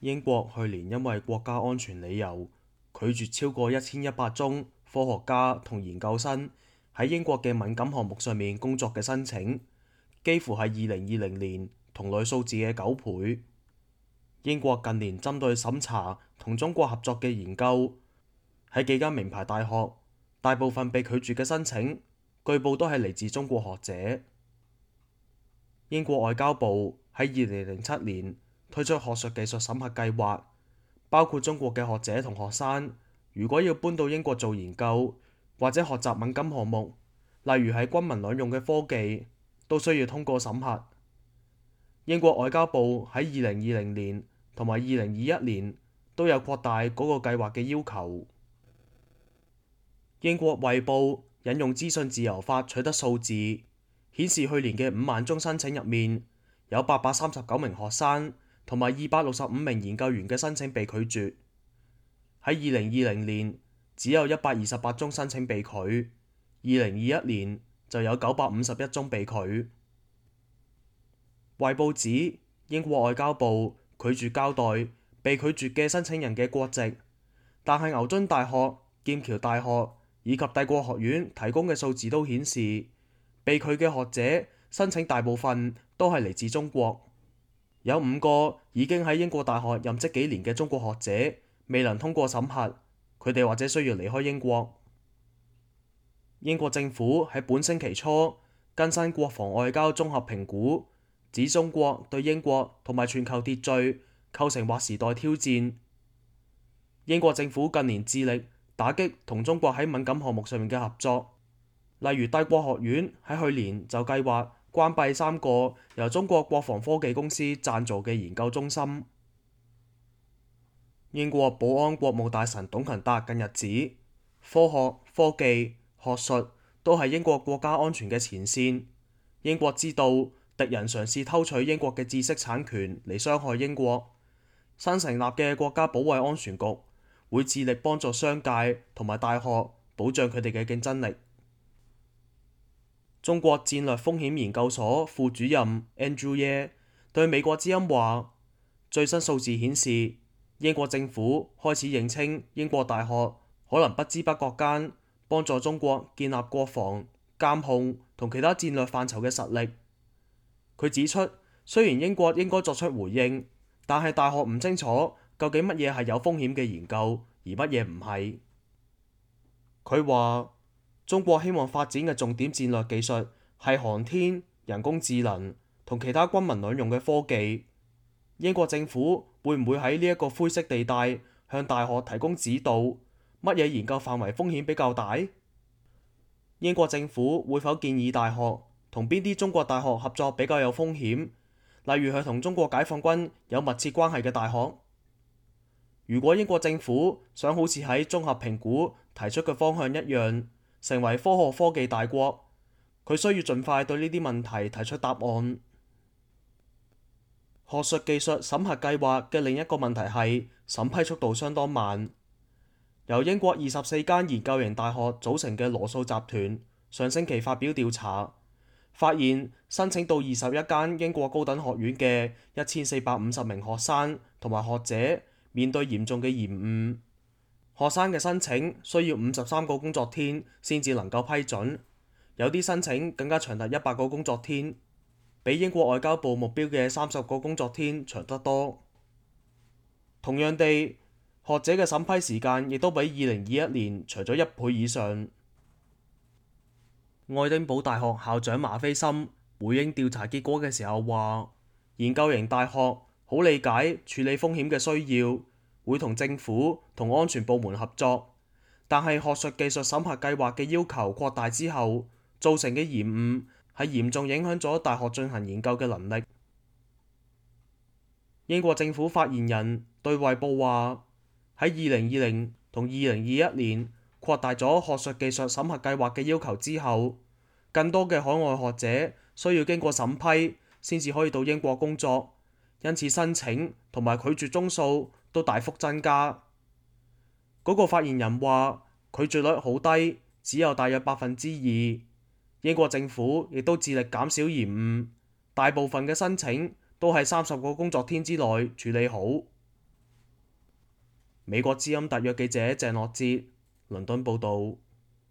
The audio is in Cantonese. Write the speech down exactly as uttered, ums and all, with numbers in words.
英國去年因為國家安全理由，拒絕超過一千一百宗科學家同研究生喺英國嘅敏感項目上面工作嘅申請，幾乎係二零二零年同類數字嘅九倍。英國近年針對審查同中國合作嘅研究，喺幾間名牌大學，大部分被拒絕嘅申請，據報都係嚟自中國學者。英國外交部喺二零零七年推出學術技術審核計劃，包括中國嘅學者同學生，如果要搬到英國做研究或者學習敏感項目，例如係軍民兩用嘅科技，都需要通過審核。英國外交部喺二零二零年同埋二零二一年都有擴大嗰個計劃嘅要求。英國衛報引用資訊自由法取得數字，顯示去年嘅五萬宗申請入面，有八百三十九名學生同埋二百六十五名研究員嘅申請被拒絕。喺二零二零年只有一百二十八宗申請被拒，二零二一年就有九百五十一宗被拒。衛報指英國外交部拒絕交代被拒絕嘅申請人嘅國籍，但係牛津大學、劍橋大學以及帝國學院提供嘅數字都顯示，被拒嘅學者申請大部分都係嚟自中國。有五個已經喺英國大學任職幾年嘅中國學者未能通過審核，佢哋或者需要離開英國。英國政府喺本星期初更新國防外交綜合評估，指中國對英國同埋全球秩序構成劃時代挑戰。英國政府近年致力打擊同中國喺敏感項目上面嘅合作，例如帝國學院喺去年就計劃關閉三個由中國國防科技公司贊助嘅研究中心。英國保安國務大臣董勤達近日指，科學、科技、學術都係英國國家安全嘅前線。英國知道敵人嘗試偷取英國嘅知識產權嚟傷害英國。新成立嘅國家保衛安全局會致力幫助商界同埋大學保障佢哋嘅競爭力。中國戰略風險研究所副主任 Andrew Ye 對美國之音話：最新數字顯示，英國政府開始認清英國大學可能不知不覺間幫助中國建立國防、監控同其他戰略範疇嘅實力。佢指出，雖然英國應該作出回應，但係大學唔清楚究竟乜嘢係有風險嘅研究，而乜嘢唔係。佢話：中國希望發展嘅重點戰略技術係航天、人工智能同其他軍民兩用嘅科技。英國政府會唔會喺呢一個灰色地帶向大學提供指導？乜嘢研究範圍風險比較大？英國政府會否建議大學同邊啲中國大學合作比較有風險？例如係同中國解放軍有密切關係嘅大學？如果英國政府想好似喺綜合評估提出嘅方向一樣，成為科學科技大國，佢需要盡快對呢啲問題提出答案。學術技術審核計劃嘅另一個問題係審批速度相當慢。由英國二十四間研究型大學組成嘅羅素集團上星期發表調查，發現申請到二十一間英國高等學院嘅一千四百五十名學生同埋學者面對嚴重嘅延誤。學生嘅申請需要五十三個工作天先至能夠批准，有啲申請更加長達一百個工作天，比英國外交部目標嘅三十個工作天長得多。同樣地，學者嘅審批時間亦都比二零二一年長咗一倍以上。愛丁堡大學校長馬菲森回應調查結果嘅時候話：研究型大學好理解處理風險嘅需要，會同政府同安全部門合作，但係學術技術審核計劃嘅要求擴大之後，造成嘅延誤係嚴重影響咗大學進行研究嘅能力。英國政府發言人對衛報話：喺二零二零同二零二一年擴大咗學術技術審核計劃嘅要求之後，更多嘅海外學者需要經過審批先至可以到英國工作，因此申請同埋拒絕宗數都大幅增加。嗰個發言人話：拒絕率好低，只有大約百分之二。英國政府亦都致力減少延誤，大部分嘅申請都喺三十個工作天之內處理好。美國之音特約記者鄭樂哲倫敦報導。